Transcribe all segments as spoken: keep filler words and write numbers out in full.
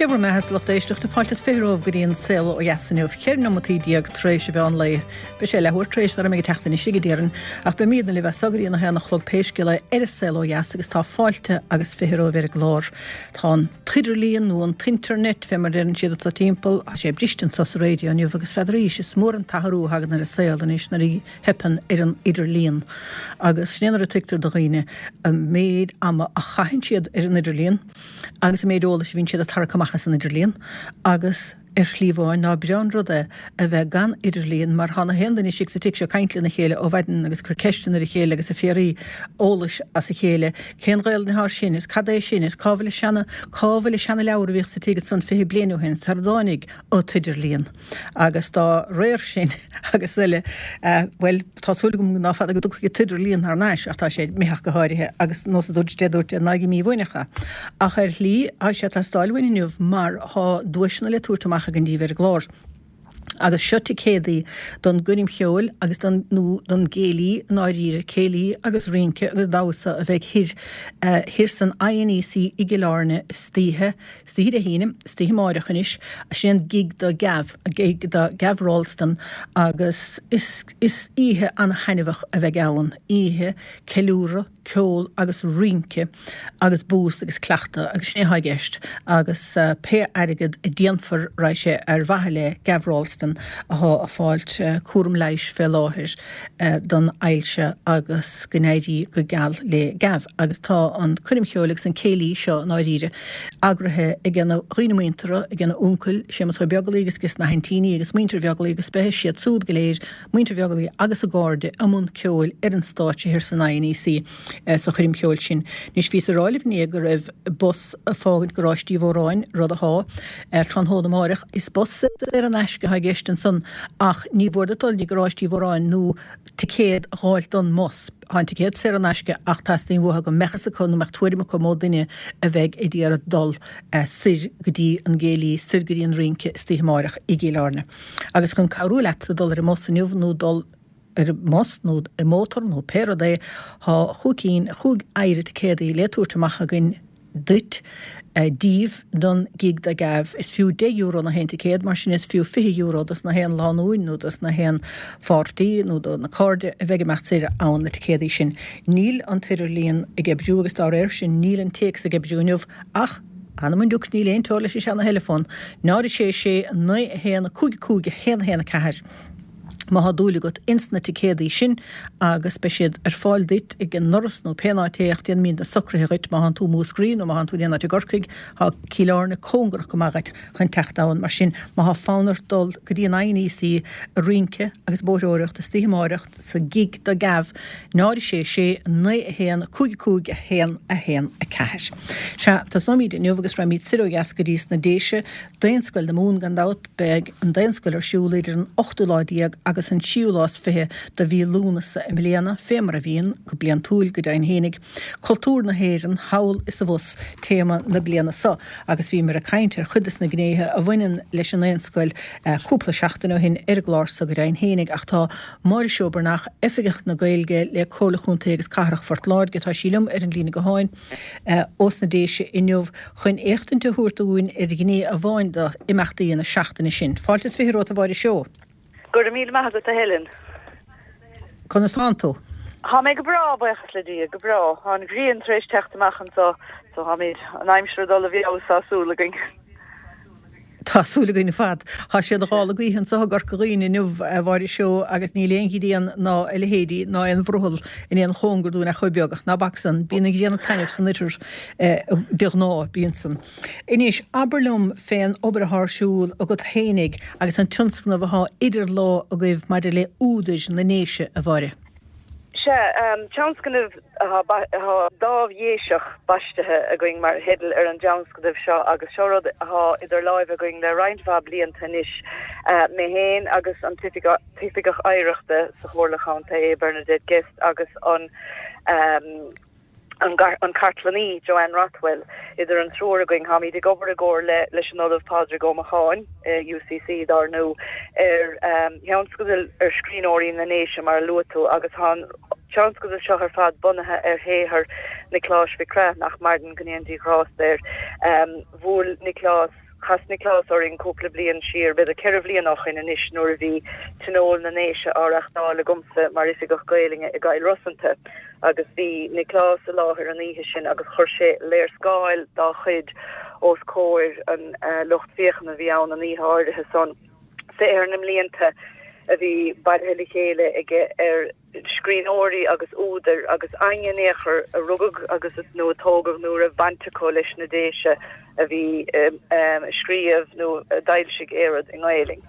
Sé bhur mbeatha, a lucht éisteachta, fáilte is fiche romhaibh go dtí an Saol Ó Dheas inniu, ceithre nóimeataí déag tar éis an mheán lae. Beidh sé leathuair tar éis nuair a bheidh mé ag teacht anois chuige, déarfainn, ach beimidne libh as so go dtí an a haon a chlog pé scéal é ar an Saol Ó Dheas agus tá fáilte agus fiche romhaibh ar an gclár. Tá an t-idirlíon nó an t-internet, fé mar a deireann siad atá timpeall, tá sé briste anso sa raidió inniu agus n'fheadaraís, is mór an t-athrú a thagann ar an saol anois nuair a theipeann ar an idirlíon. Agus sin é nuair a tuigtear do dhaoine an méid ama a chaitheann siad ar an idirlíon agus an méid eolais a bhíonn siad ag tarrac amach as an idirlíon agus ar shlí amháin ná breá an rud é a bheith gan idirlíon mar tá na haon duine istigh sa tigh seo ag caint lena chéile ó mhaidin agus ag cur ceisteanna ar a chéile agus ag fiafraí eolais as a chéile cén Ghaelainn atá sin is cad é sin is cá bhfuil an seana cá bhfuil an seana leabhar a bhíodh sa tigh ansan fiche bliain ó shin sar a dtáinig an t-idirlíon agus dá réir sin agus eile bhuel tá súil agam ná fada go dtiocfaidh an t-idirlíon thar n-ais ach tá sé imithe ach go háirithe agus nós a dúirt Dé dúirt ná ag mímhuineach é. Ach ar shlí tá sé ag teastáil uainn inniu mar tá duaiseanna le tabhairt amach againn daoibh ar an gclár. Agus seo ticéadaí don gcoirm cheoil agus don nó don gcéilí i ndáiríre, céilí agus rince agus damhsa a bheidh thoir thoir san INEC i gCill Airne istoíche, istoíche Dé hAoine, istoíche amáireach anois, sin an gig do Gav, gig do Gav Ralston agus is is oíche an-thaitneamhach a bheidh ann, oíche ceiliúradh, ceol agus rince agus bús agus cleachtadh agus sin é atá i gceist agus pé airgead a déanfar raghaidh sé ar mhaithe le Gav Ralston athá ag fáilt cúram leighis fé láthair don ailse agus go n-éirí go geal le Gav agus tá an coirm cheoil agus an céilí seo i ndáiríre eagraithe ag na dhaoine muinteartha ag na uncail Séamus Ó Beaglaoich agus agus na haintíní agus muintir Bheaglaoich agus beidh siad súd go léir muintir Bheaglaoich agus a gcairde i mbun ceoil ar an stáitse thiar san INEC sa choirm cheoil sin. Anois bhíos ag rá libh inné go raibh bus ag fágaint Garáiste Uí Mhóráin, rud athá ar tráthnóna amáireach. Is bus saor in aisce atá i gceist ansan ach ní mhór duit dul dtí Garáiste Uí Mhóráin nó ticéad a dh'fháilt don mbus. Tá an ticéad saor in aisce ach teastaíonn uathu go mbeadh fhios acu nó mbeadh tuairim acu mó duine a bheidh ag iarraidh dul soir go dtí an gcéilí, soir go dtí an rince istoíche amáireach i gCill Airne. Agus chun cabhrú leat dul ar an mbus inniu nó dul ar an mbus nó i mótar nó pé rud é, tá chúig cinn, chúig oighre ticéadaí le tabhairt amach againn duit, daoibh, don gig do Gav. Is fiú deich euro na haon ticéad, mar sin is fiú fiche euro dos na haon lánúin nó dos na haon pháirtí nó do na cairde a bheidh ag imeacht soir ann na ticéadaí sin. Níl an t-idirlíon ag oibriú agus dá réir sin níl an téacs ag oibriú inniu ach anam an diúc níl aon teora leis an seana-theileafón, náid a sé sé naoi a haon a cúig a cúig a haon a haon a ceathair. Má thá dúil agat ins na ticéadaí sin agus beidh siad ar fáil duit ag an ndoras nó pé áit é ach déanfaimid na socruithe dhuit má thánn tú i Múscraí nó má thánn tú in aon áit i gCorcaigh thá Cill Airne cóngarach go maith dhuit chun teacht ann mar sin má thá fonn ort dul go dtí an INEC ag rince agus bóithreoireacht istoíche amáireach sa gig do Gav náid a sé sé naoi a haon cúig a cúig a haon a haon a ceathair. Sea, tosóimid inniu agus raghaimid soir ó dheas go dtí sna Déise, Daonscoil na Mumhan gan dabht, beidh an Daonscoil ar siúl idir an ochtú lá déag agus an tríú lá is fiche de mhí Lúnasa i mbliana, fé mar a bhíonn, go bliantúil, go deimhin fhéinig. Cultúr na hÉireann, thall is abhus, téama na bliana so, agus bhíomar ag caint ar chuid des na gnéithe a bhaineann leis an nDaonscoil cúpla seachtain ó shin ar an gclár so go deimhin fhéinig, ach tá Máire Seó Breathnach, Oifigeach na Gaeilge le Comhairle Chontae agus Cathrach Phort Láirge, tá sí liom ar an líne gutháin ós na Déise inniu chun éachtaint a thabhairt dúinn ar ghné amháin d'imeachtaí na seachtaine sin. Fáilte is fiche romhat, a Mháire Seó. Go raibh míle maith agat, a Helen. Conas tánn tú? Tá mé go breá, buíochas le Dia, go breá. Tá an ghrian tar éis teacht amach anso, so táimid, an aimsir ag dul i bhfeabhas, tá súil againn. Tá súil againn ar fad. Tá sé ina ghála gaoithe anso i gCorca Dhuibhne inniu, a Mháire Seó, agus níl aon ghrian ná a leithéidí ná aon bhrothall in aon chóngar dúinn ach chomh beag. Ach ná bac san, bíonn an ghrian ag taitneamh san oirthear de ghnáth, bíonn san. Anois, abair liom fén obair athá ar siúl agat fhéinig agus an tionscnamh athá idir lámha agaibh maidir le údair na nDéise, a Mháire. Sea, tionscnamh atá Dámh Dhéiseach baistithe againn mar theideal ar an dtionscnamh seo agus seo rud atá idir láimhe againn le roinnt mhaith blianta anois, mé féin agus an tOifigeach Oidhreachta sa Chomhairle Chontae, Bernadette Guest agus an an cartlannaí, Joanne Rothwell. Idir an triúr againn, táimid ag obair i gcomhar leis an Ollamh Pádraig Ó Macháin, UCC, dár ndú, ar thionscadal ar scríbhneoirí na nDéise, mar a luaigh tú, agus tá an tionscadal seo ar fad bunaithe ar shaothar Niocláis Mhic Craith, nach maireann, go ndéana Dia grásta air. Bhuail Nioclás. Chas Nioclás orainn cúpla bliain siar, b'fhéidir ceithre bhliain ó shin anois, nuair a bhí Tionól na nDéise á reachtáil agamsa mar Oifigeach Gaelainne i gCill Rosanta agus bhí Nioclás i láthair an oíche sin agus chuir sé léarscáil dá chuid os comhair an lucht féachana a bhí ann an oíche áirithe san. Saothar na mblianta a bhí bailithe le chéile aige ar scríbhneoirí agus údair agus éinne in aon chor a rugadh agus nó a tógadh nó a raibh baint acu leis na Déise a bhí ag scríobh nó a d'fhoilsigh aon rud i nGaelainn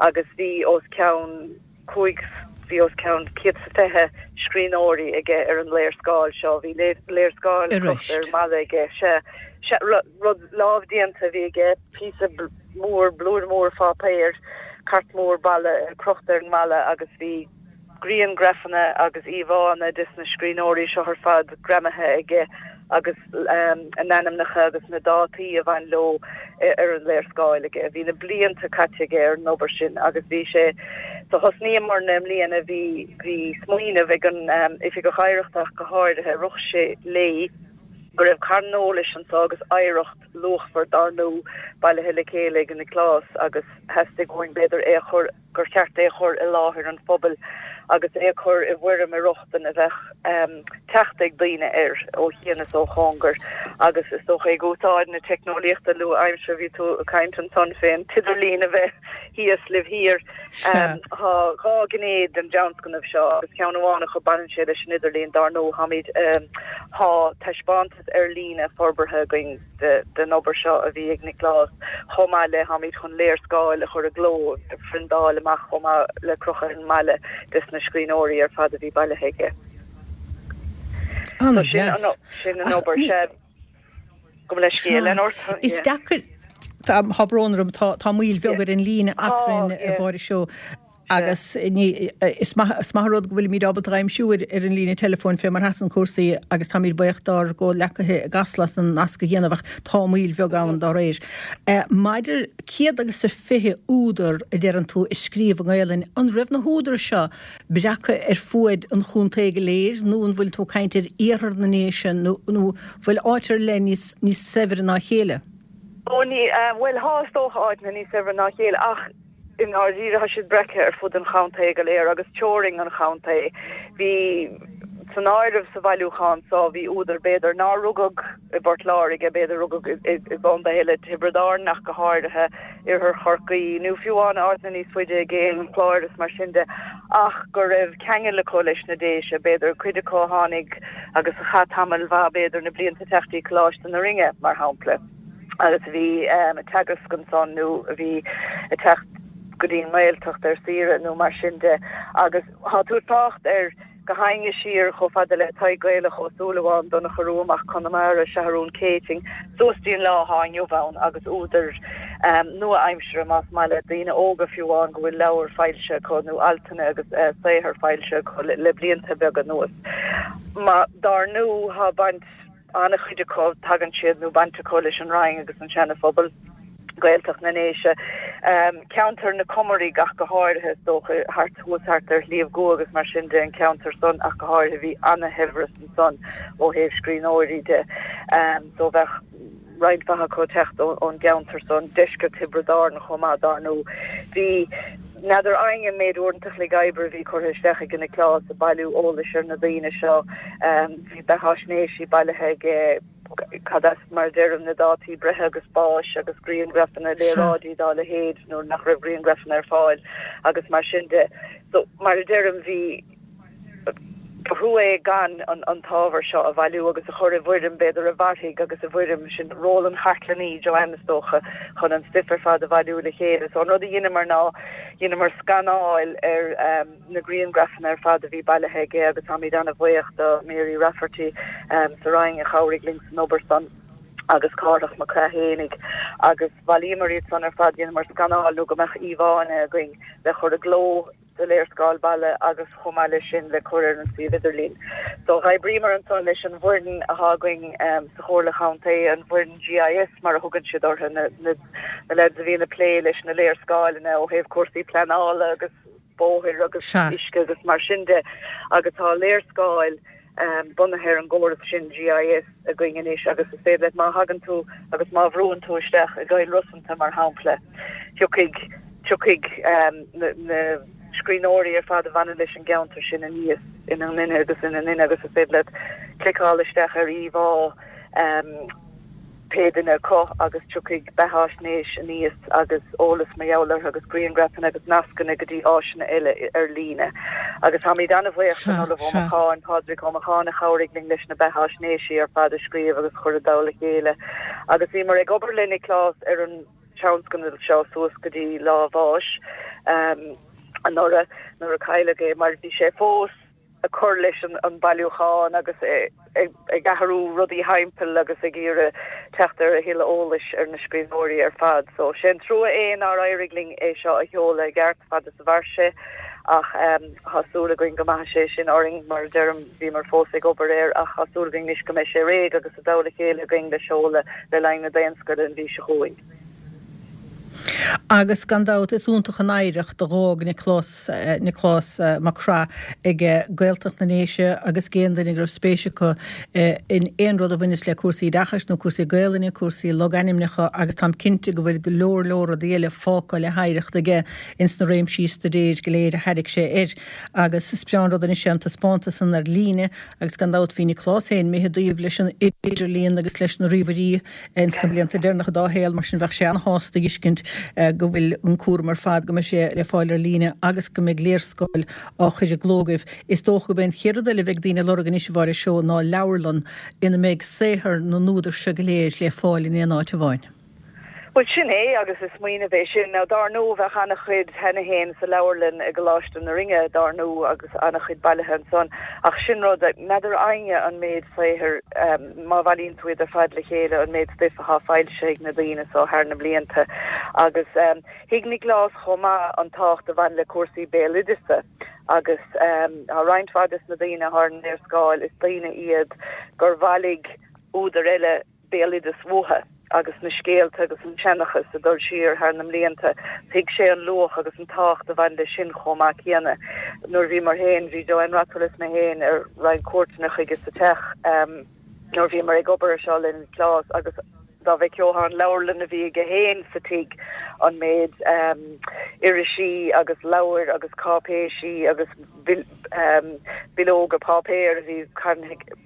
agus bhí os cionn cúig bhí os cionn céad is fiche scríbhneoirí aige ar an léarscáil seo bhí léarscáil crochta ar an mballa aige sea sea rud lámhdéanta a bhí aige píosa mór blúire mór pháipéir cairt mhór balla crochta ar an mballa agus bhí grianghrafanna agus íomhánna des na scríbhneoirí seo ar fad greamaithe aige agus a n-ainmneacha agus na dátaí a bhain leo ar an léarscáil aige. Bhí na blianta caite aige ar an obair sin agus bhí sé so thosnaíomar i mbliana bhí bhí smaoineamh ag an Oifigeach Oidhreachta ach go háirithe rith sé léi go raibh carn eolais anso agus oidhreacht luachmhar dar ndóigh bailithe le chéile ag Nioclás agus theastaigh uainn b'fhéidir é a chur gur cheart é a chur i láthair an phobail agus é a chur i bhfoirm ar rochtain a bheadh teacht ag daoine air ó chian is ó chóngar agus is dócha ag úsáid na teicneolaíochta nua-aimseartha bhí tú ag caint ansan fén t-idirlíon a bheith thíos libh thiar. Tá dhá ghné den dtionscnamh seo agus ceann amháin acu baineann sé leis an idirlíon dar ndóigh táimid tá taispeántas ar líne forbartha againn den obair seo a bhí ag Nioclás chomh maith le táimid chun léarscáil a chur i gcló a phriondáil amach chomh maith le crochadh ar an mballa des na scríbhneoirí ar fad a bhí bailithe aige. An-deas. Sin an obair se. Go leis ort. Is deacair tá brón orm tá tá moill bheag ar an líne eadrainn a Mháire seo agus ní is maith is maith rud go bhfuilimid ábalta aimsiú ar ar an líne teileafóin fé mar sheasann cúrsaí agus táimid buíoch dár gcomhghleacaithe i gCasla as an nasc a dhéanamh ach tá moill bheag ann dá réir. Maidir céad agus a fiche údar a deireann tú a scríobh i nGaelainn, an raibh na húdair seo breactha ar fuaid an chontae go léir nó an bhfuil tú ag caint ar iarthar na nDéise nó nó bhfuil áit ar leith níos níos saibhre ná a chéile? Ó ní, bhuel thá is dócha áiteanna níos saibhre ná a chéile ach i ndáiríre tá siad breactha ar fud an chontae go léir agus teorainn an chontae. Bhí san áireamh sa bhailiúchán so bhí údair b'fhéidir nár rugadh i bPort Láirge, b'fhéidir rugadh i gcontae eile, Tiobraid Árann ach go háirithe, Oirthear Chorcaí nó fiú amháin áiteanna níos faide i gcéin, an Clár is mar sin de, ach go raibh ceangal acu leis na Déise, b'fhéidir cuid acu a tháinig agus a chaith tamall mhaith b'fhéidir na blianta ag teacht dtí Coláiste na Rinne, mar shampla. agus a bhí ag teagasc ansan nó a bhí ag teacht go dtí an nGaeltacht ar saoire nó mar sin de agus tá tú ag trácht ar gach éinne siar chomh fada le Tadhg Gaelach Ó Súilleabháin, Donncha Rua Mac Conamara, Seathrún Céitinn, suas dtí an lá atá inniu ann agus údair nua-aimseartha más maith leat, daoine óga fiú amháin go bhfuil leabhair foilsithe acu nó altanna agus saothar foilsithe acu le blianta beaga anuas. Má, dár ndú, tá baint. An-chuid acu, tagann siad nó baint acu leis an Rinn agus an Seana Phobal, Gaeltacht na nDéise, ceantar na Cumaraí ach go háirithe, is dócha, thart thuas thart ar Shliabh gCua agus mar sin de, an ceantar san ach go háirithe, bhí ana-shaibhreas ansan ó thaobh scríbhneoirí de. So bheadh roinnt mhaith acu ag teacht ón gceantar san, deisceart Thiobraid Árann chomh maith, dar ndóigh. Bhí, n'fheadar éinne an méid uaireanta a chloig oibre a bhí curtha isteach ag Nioclás ag bailiú eolais ar na daoine seo. Bhí beatháisnéisí bailithe aige, cad as, mar a deirim, na dátaí breithe agus báis agus grianghrafanna, léaráidí dá leithéid nuair nach raibh grianghrafanna ar fáil agus mar sin de. So, mar a deirim, bhí, ba thrua é gan an t-ábhar seo a bhailiú agus a chur i bhfoirm, b'fhéidir, a mhairfidh agus i bhfoirm, sin ról an chartlannaí, Joanne, is dócha, chun an stuif ar fad a bhailiú le chéile. So an rud a dheineamar ná, dheineamar scanáil ar na grianghrafanna ar fad a bhí bailithe aige agus táimid an-bhuíoch do Mary Rafferty sa Roinn a chabhraigh linn san obair san agus Cárthach Mac Craith agus bhailíomar iad san ar fad, dheineamar scanáil nó go mbeadh íomhánna againn le chur i gcló sa léarscáil balla agus chomh maith leis sin le cur ar an suíomh idirlín. So dh'oibríomar ansan leis an bhfoireann athá againn sa Chomhairle Chontae, an bhfoireann GIS mar a thugann siad orthu, na na lads a bhíonn ag plé leis na léarscáileanna ó thaobh cúrsaí pleanála agus bóthair agus Sea. uisce agus mar sin de agus tá léarscáil bunaithe ar an gcóras sin G I S againn anois agus is féidir leat, má thagann tú agus má bhrúann tú isteach i gCoill Rosanta, mar shampla, tiocfaidh tiocfaidh na na scríbhneoirí ar fad a bhaineann leis an gceantar sin aníos ina nduine agus ina nduine agus is féidir leat cliceáil isteach ar íomhá um, pé duine acu agus tiocfaidh beathaisnéis aníos agus eolas mar gheall orthu agus grianghrafanna agus nascanna go dtí áiseanna eile ar líne. Agus táimid an-bhuíoch den Ollamh Ó Macháin, Pádraig Ó Macháin, a chabhraigh linn leis na beathaisnéisí ar fad a scríobh agus chur i dtoll a chéile. Agus bhíomar ag obair le Nioclás ar an tionscadal seo suas go dtí lá a bháis um, anuraidh nuair a cailleadh é, mar bhí sé fós ag cur leis an, an bailiúchán agus ag, ag athrú rudaí timpeall agus ag iarraidh teacht ar a thuilleadh eolais ar na scríbhneoirí ar fad. So sin trua é nár éirigh linn é seo a sheoladh i gceart fad is a mhair sé, ach um, tá súil againn go maithfidh sé sin orainn. Mar deirim, bhíomar fós ag obair air, ach tá súil againn anois go mbeidh sé réidh agus i dtoll a chéile againn le seoladh le linn na Daonscoile an mhí seo chugainn. Agus gan dabht is iontach an oidhreacht a d'fhág Nioclás Nioclás Mac Craith ag Gaeltacht na nDéise agus aon duine go raibh spéis acu in aon rud a bhaineas le cúrsaí oideachais nó cúrsaí Gaelainne, cúrsaí logainmneacha, agus táim cinnte go bhfuil go leor leor rudaí eile fágtha le hoidhreacht aige ins na réimsí staidéir go léir a thairg sé air. Agus is breá an rud anois an taispeántas san ar líne, agus gan dabht bhí Nioclás féin imithe i dtaobh leis an idirlíon agus leis na ríomhairí ins na blianta deireanacha dá shaol, mar sin bheadh sé an-shásta fheiscint go bhfuil an cúram ar fad, go mbeidh sé le fáil ar líne agus go mbeidh léarscáil á chur i gcló agaibh. Is dócha go mbeidh an chéad rud eile a bheidh daoine ag lorg anois, a Mháire Seó, ná leabharlann ina mbeidh saothar na n-údar seo go léir le fáil in aon áit amháin. Well, sin é, agus is smaoineamh é sin. Now, dar ndóigh bheadh an-chuid cheana féin sa leabharlann i gColáiste na Rinne, dar ndóigh, agus an-chuid bailithe ansan, ach sin rud n'fheadar éinne an méid saothair um, má bhailíonn tú iad ar fad le chéile, an méid stuif atá foilsithe ag na daoine so thar na blianta. Agus um, thuig Nioclás chomh maith an tábhacht a bhain le cúrsaí béaloideasa, agus um, tá roinnt mhaith des na daoine ar an léarscáil, is daoine iad gur bhailigh údair eile béaloideas uathu agus na scéalta agus an seanchas a dul siar thar na mblianta. Thuig sé an luach agus an tábhacht a bhain leis sin chomh maith céanna. Nuair bhí mar féin, bhí Joanne Rockwell mé féin ar roinnt cuairteanna chuige sa teach um, nuair bhí mar ag obair seo le Nioclás, agus dá bhfeicfeá an leabharlann a bhí aige féin sa tigh, an méid um, irisí agus leabhair agus cáipéisí agus um, bileoga páipéir a bhí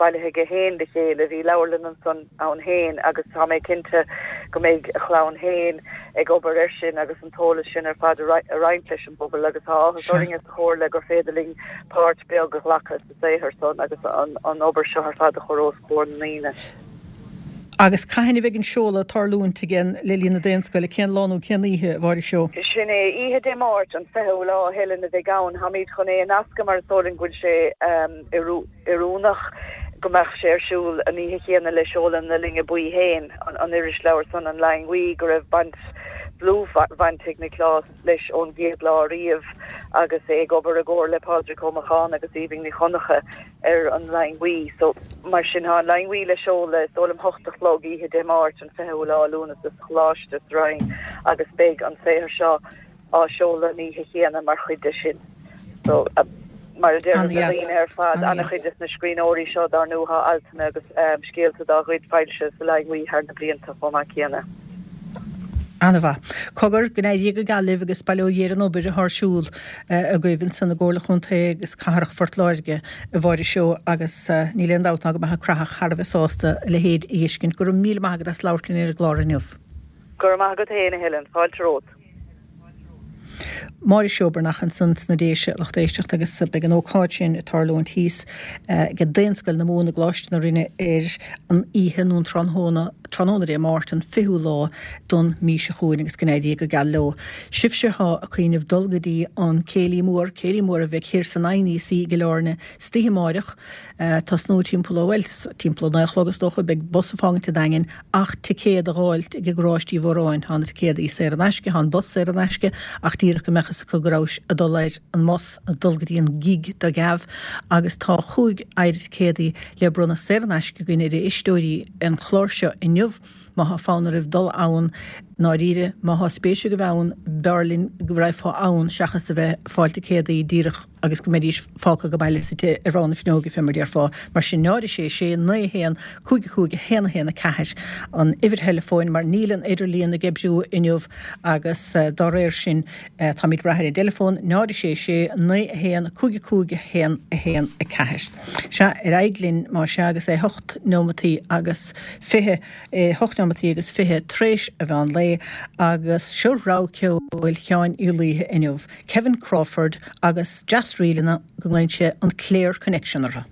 bailithe aige féin le chéile, bhí leabharlann ansan ann féin. Agus tá mé cinnte go mbeidh a chlann féin ag obair air sin agus an t-eolas sin ar fad a roinnt leis an bpobal, agus tá áthas orainn sa chomhairle gur féidir linn páirt beag a ghlacadh sa saothar san agus an, an obair seo ar fad a chur os comhair na ndaoine. Agus cathain a bheidh an seoladh ag tarlúint again le linn na Daonscoile? Cén lá nó cén oíche, a Mháire Seó? Sin é oíche Dé Máirt an fichiú lá, a Helen, a bheidh ann. Táimid chun é a nascadh mar is dóigh linn go bhfuil sé um, oiriúnach go mbeadh sé ar siúl an oíche chéanna le seoladh na Loinge Buí féin, an, an irisleabhar san, an Loing Bhuí, go raibh baint dlúthbhaint ag Nioclás leis ón gcéad lá riamh agus é ag obair i gcomhar le Pádraig Ó Macháin agus Aoibhinn Ní Chonchú ar an Loing Bhuí. So mar sin tá an Loing Bhuí le seoladh, is dóigh liom, hocht a chlog oíche Dé Máirt an fichiú lá Lúnasa sa Choláiste sa Rinn, agus beidh an saothar seo á seoladh an oíche chéanna mar chuid de sin. So uh, mar a deir na daoine ar fad, an-chuid des na scríbhneoirí seo, dar ndóigh, tá altanna agus um, scéalta dá gcuid foilsithe sa Loing Bhuí thar na blianta chomh maith céanna. An-mhaith. Cogar, go n-éirí go geal libh agus bail ó Dhia ar an obair atá ar siúl agaibh ansan i gComhairle Chontae agus Cathrach Phort Láirge, a Mháire Seó, agus níl aon dabht ná go mbeadh an Craitheach thar a bheith sásta a leithéid a fheiscint. Go raibh míle maith agat as labhairt linn ar an gclár inniu. Go raibh maith agat féin, a Helen. Fáilte romhat. Máire Seó Breathnach ansan sna Déise, lucht éisteachta, agus beidh an ócáid sin ag tarlúint thíos ag Daonscoil na Mumhan i gColáiste na Rinne ar an oíche nó an tráthnóna, tráthnóna Dé Máirt an fichiú lá don mí seo chugainn, agus go n-éirí go geal leo. Sibhse atá ag cuimhneamh dul go dtí an Céilí Mór, Céilí Mór a bheidh thiar san I N E C i gCill Airne istoíche amáireach, tosnú timpeall ó, bhuel, timpeall a naoi a chlog is dócha, beidh bus ag fágaint an Daingin ach ticéad a dh'fháilt ag garáistí Mhóráin. Tá na ticéadaí saor in aisce, tá an bus saor in aisce, ach díreach go mbeadh fhios acu go rabhais ag dul ar an mbus, ag dul go dtí an gig do gheábh, agus tá chúig oiread ticéadaí le bronnadh saor in aisce againn ar éisteoirí an chláir seo inniu. Má thá fonn oraibh dul ann, ndáiríre, má thá spéis agaibh ann, b'fhearr linn go raghfá ann seachas a bheith ag fáil ticéadaí díreach. agus go mbeidís fágtha go baile suite ar rogha na fuinneoige fé mar déarfá. Mar sin náid a sé sé naoi a haon cúig a cúig a haon a haon a ceathair an uimhir theileafóin mar níl an idirlíon ag oibriú inniu agus dá réir sin táimid ag brath ar an dteileafón náid a sé sé naoi a haon cúig a cúig a haon a haon a ceathair. Sea, ar aghaidh linn má sea agus é hocht nóimeataí agus fiche, hocht nóimeataí agus fiche tar éis a mheán lae agus seo rogha ceoil Sheáin Uí Laoithe inniu, Kevin Crawford agus deas-ríleanna go nglaonn sé an Clare Connection orthu.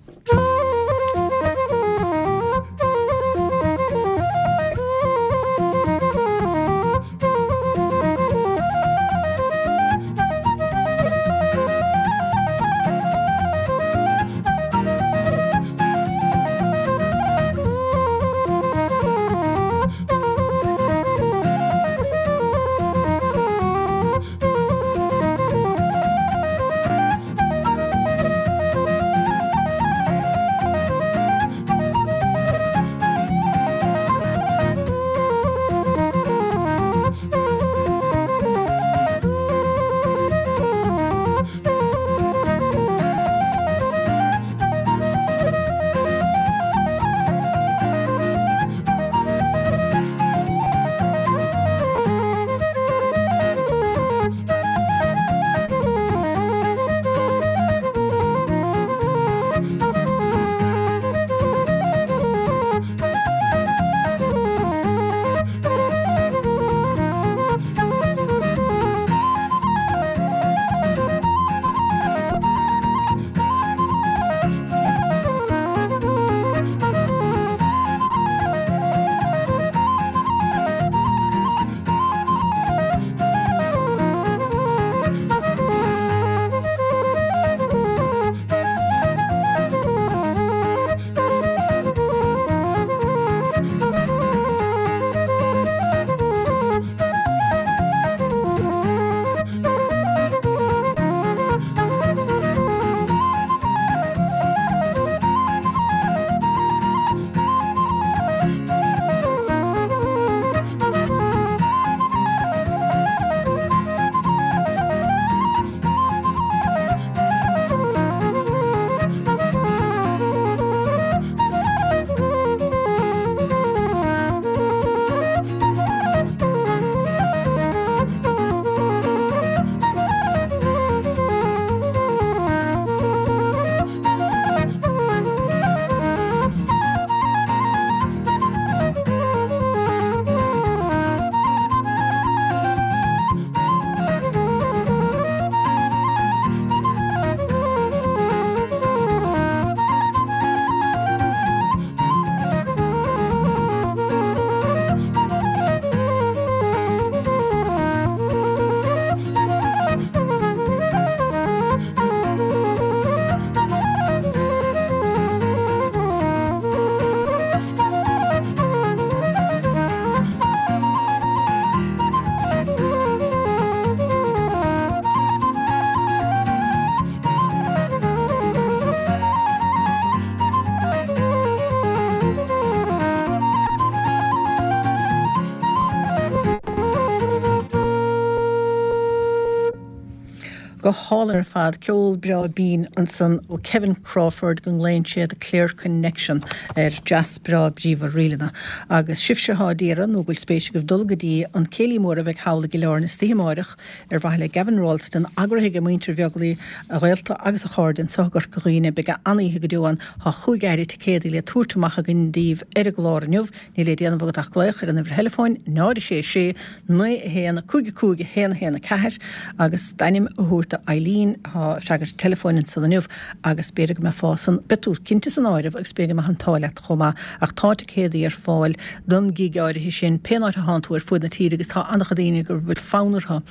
Go hálainn ar fad, ceol breá binn ansan ó Kevin Crawford go nglaonn sé The Clare Connection ar deas breá bríomhar ríleanna. Agus sibhse atá d'iarraidh nó go bhfuil spéis agaibh dul go dtí an céilí mór a bheidh thall i gCill Airne istoíche amáireach ar mhaithe le Gavin Ralston, eagraithe ag muintir Bheaglaoich, a ghaolta agus a chairde anseo i gCorca Dhuibhne. Beidh an-oíche go deo ann. Tá chúig fheathra ticéadaí le tabhairt amach againn daoibh ar an gclár inniu. Níl le déanamh agat ach glaoch ar an uimhir theileafóin náid a sé sé naoi a haon cúig a cúig a haon a haon a ceathair agus d'ainm a thabhairt do Eileen atá ag freagairt teileafóin ansan inniu agus b'fhéidir go mbeifeá san, beidh tú cinnte san áireamh agus b'fhéidir go mbeadh an t-ádh leat chomh maith ach tá ticéadaí ar fáil don gig áirithe sin pén áit a thánn tú ar fuaid na tíre agus tá an-chuid daoine go bhfuil fonn orthu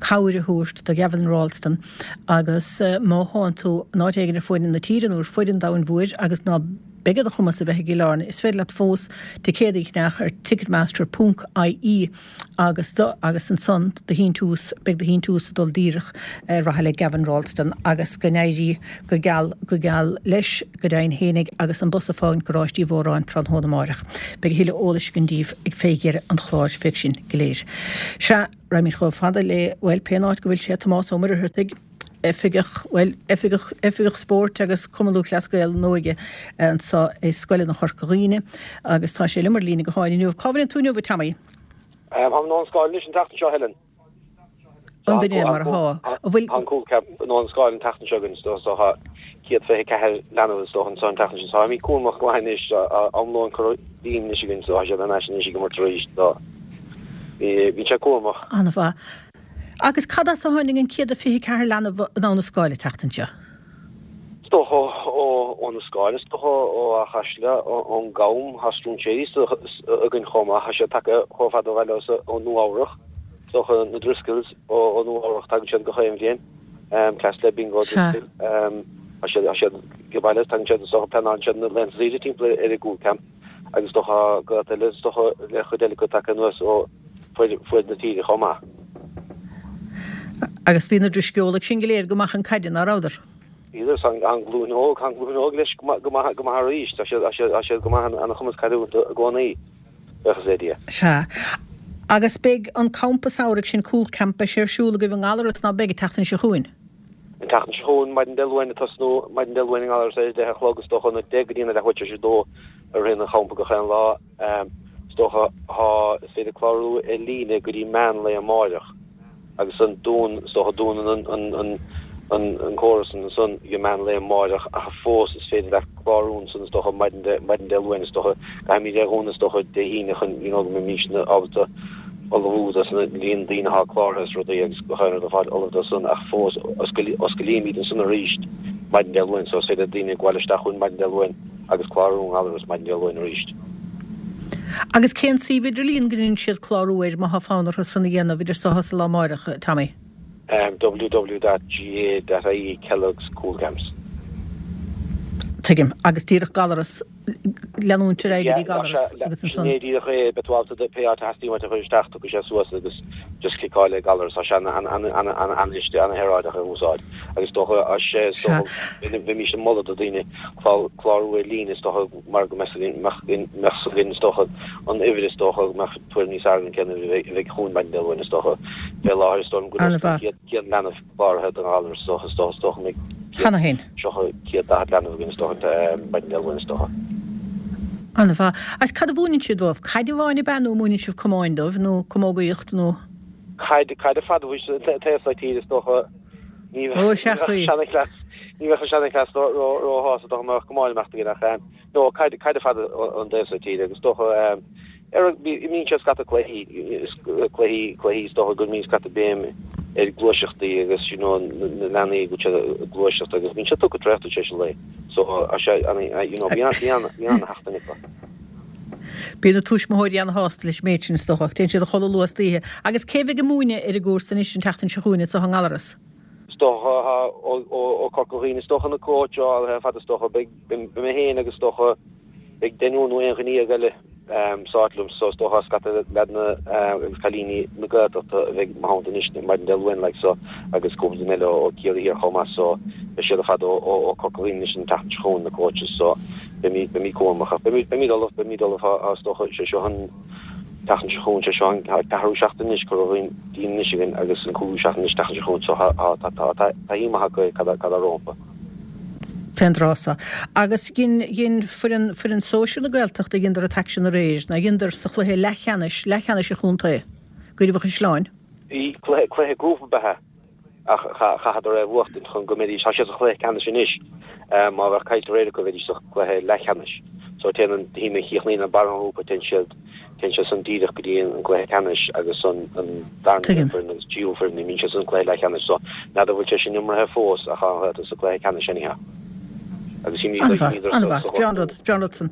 cabhair a thabhairt do Gavin Ralston agus má thánn tú in áit éigin ar fuaid na tíre nó ar fuaid an domhain mhóir agus ná beidh ar do chumas a bheith i gCill Airne, is féidir leat fós ticéadaí a cheannach ar ticketmaster ponc ie agus do agus ansan do shíntiús, beidh do shíntiús ag dul díreach ar mhaithe le Gavin Ralston agus go n-éirí go geal go geal leis go deimhin fhéinig agus an bus ag fágaint Garáiste Uí Mhóráin tráthnóna amáireach. Beidh a thuilleadh eolais againn daoibh ag fé dheireadh an chláir féach sin go léir. Sea, raghaimid chomh fada le, bhuel, pén áit go bhfuil sé, Tomás Ó Muircheartaigh. Oifigeach, bhuel, Oifigeach, Oifigeach Spóirt agus Cumann Lúthchleas Gael na nÓige anseo i scoileanna Chorca Dhuibhne agus tá sé liom ar líne gutháin inniu. Cá bhfuil tú inniu, a Tommy? Táim i nDún Scáil anois an tseachtain seo, Helen. An b'in é mar atá. An bhfuil. An Cúl Camp i nDún Scáil an tseachtain seo againn so so tá céad fiche ceathair leanbh is dócha anso an tseachtain seo. So táimid cúramach go maith anois, am lóin curtha dínn anois againn so tá siad thar n-ais anois ag imirt arís so bíonn sé cúramach. An-mhaith. Agus cad as a tháinig an céad a fiche ceathair leanbh i nDamh na Scáil an tseachtain seo? Is dócha ó na Scáil, is dócha ó Áth Chaisle, ón gCam, tá stróinséirí againn chomh maith, tá siad tagtha chomh fada ó bhaile ó Nua Eabhrach, is dócha na Driscolls ó Nua Eabhrach, tagann siad gach aon bhliain, cleas le Bingo Driscoll, tá siad tá siad ag baile, tagann siad is dócha pleanálann siad na laethanta saoire timpeall ar an gCúl Camp agus is dócha gaolta eile, is dócha le chuid eile acu tagtha anuas ó fuaid na tíre chomh maith. Agus bhí na Drisceolaigh sin go léir go maith chun caide, ná rabhadar? Bhíodar, tá an ghlúin óg, tá an ghlúin óg leis go maith, go maith arís. Tá siad, tá siad go maith, ana-chumas caide i gcónaí, buíochas le Dia. Sea. Agus beidh an campa samhraidh sin, Cúl Camp, beidh sé ar siúl agaibh i nGallaras, ná beidh, an tseachtain seo chugainn? An tseachtain seo chugainn, maidin Dé Luain ag tosnú, maidin Dé Luain i nGallaras ar a deich a chlog, is dócha, óna deich go dtí a leathuair tar éis a dó a ritheann an champa gach aon lá. Is dócha, tá, is féidir clárú ar líne go dtí meán lae amáireach agus an dún, is dócha, dúnann an, an, an, an, an córas ansan ag meán lae amáireach ach fós is féidir leat clárú ansan is dócha maidin Dé, maidin Dé Luain is dócha, caithfimid é a dhúnadh is dócha Dé hAoine chun, you know, go mbeimis ábalta ullmhú dos na líon daoine atá cláraithe is rudaí agus gach aon rud a fháil ullamh dó san ach fós oscailímid ansan arís maidin Dé Luain so is féidir le daoine gabháil isteach chugainn maidin Dé Luain agus clárú i nGallaras maidin Dé Luain arís. Agus cén suíomh idirlíon go ndéanann siad clárú air má thá fonn orthu san a dhéanamh idir so is an lá amáireach, Tommy? www.gaa.ie Kellogg's Cúl Camps. Tuigim. Agus díreach Gallaras, leanúint ar aghaidh go dtí Gallaras agus ansan. Sin é díreach é, beidh tú ábalta pé áit a theastaíonn uait a chur isteach, tiocfaidh sé suas agus just cliceáil ar Gallaras, tá sé an-an-an-an-an-shaoráideach a úsáid agus is dócha, sé is dócha, bheimís ag moladh do daoine clárú ar líne is dócha mar go mbeadh againn is dócha an uimhir is dócha go mbeadh tuairim níos fearr againn cén uimhir a bheidh chugainn maidin Dé Luain is dócha. Fé láthair is dóigh liom go bhfuil os cionn céad leanbh cláraithe don Ghallaras is dócha is dócha is dócha go mbeidh Cheana féin. tríocha céad daichead leanbh againn is dócha maidin Dé Luain is dócha. An-mhaith. Agus cad a mhúineann sibh dóibh? Caid amháin ab ea nó múineann sibh camáin dóibh nó camógaíocht nó? Caid, caid ar fad a bhí an t-aos tíre is dócha. Ní Ó, sea, bheadh ní bheadh an seanchleas róshásta dá mbeadh camáin ag imeacht againn ach no, caid caid ar fad an taos tíre agus is dócha ar mbíonn sé scata cluichí, cluichí, cluichí is dócha go mbíonn scata béim ar gluaiseachtaí agus you know na leanaí go bhfuil siad ag gluaiseacht agus bíonn siad tugtha traochta tar éis an lae so sé you know bíonn bíonn bíonn ana-sheachtain acu. Bíonn na tuismitheoirí ana-shásta leis an méid sin is dócha ach téann siad a chodladh luath istoíche. Agus cé bheidh ag múineadh ar an gcúrsa anois an tseachtain seo chugainn anseo i nGallaras? Is dócha ó Corca Dhuibhne is dócha na cóitseálaithe ar fad is dócha beidh mé féin agus is dócha beidh deichniúr nó aon dhuine dhéag eile sa áit liom so is dócha scata leaideanna agus cailíní na Gaeltachta a bheidh mo theannta anois maidin Dé Luain like so agus cúpla duine eile ó Ciarraí Thiar chomh maith so beidh siad ar fad ó Corca Dhuibhne anois an tseachtain seo chugainn na coaches so beimid beimid cúramach ach beimid beimid ullamh beimid ullamh is dócha sé seo an tseachtain seo chugainn sé seo an ceathrú seachtain anois curtha dínn anois againn agus an cúigiú seachtain anois tseachtain seo chugainn so tá tá tá taithí maith acu cad cad atá rompu. Fén dtráth so. Agus dhein dhein foireann foireann sóisir na Gaeltachta dheineadar an t-aicsean aréir, ná dheineadar sa chluiche leathcheannais leathcheannais an chontae, i gCraobh an Chaisleáin. Bhí cluiche cluiche grúpa ab ea é. Ach chaitheadar é a bhuachtaint chun go mbeidís, tá siad sa chluiche ceannais anois, má bheadh caillte aréir acu bheidís sa chluiche leathcheannais. So téann an team a chríochnaíonn ar barr an ghrúpa, téann siad, téann siad san díreach go dtí an cluiche ceannais agus an an darna Tuigim. foireann agus tríú foireann, imíonn siad san cluiche leathcheannais. So n'fheadar bhfuil sé sin iomraithe fós ach tá an Ghaeltacht sa cluiche ceannais anyhow. Agus imíodar, An-mhaith, imíodar sa, an-mhaith. sa Is breá an rud, is breá an rud san.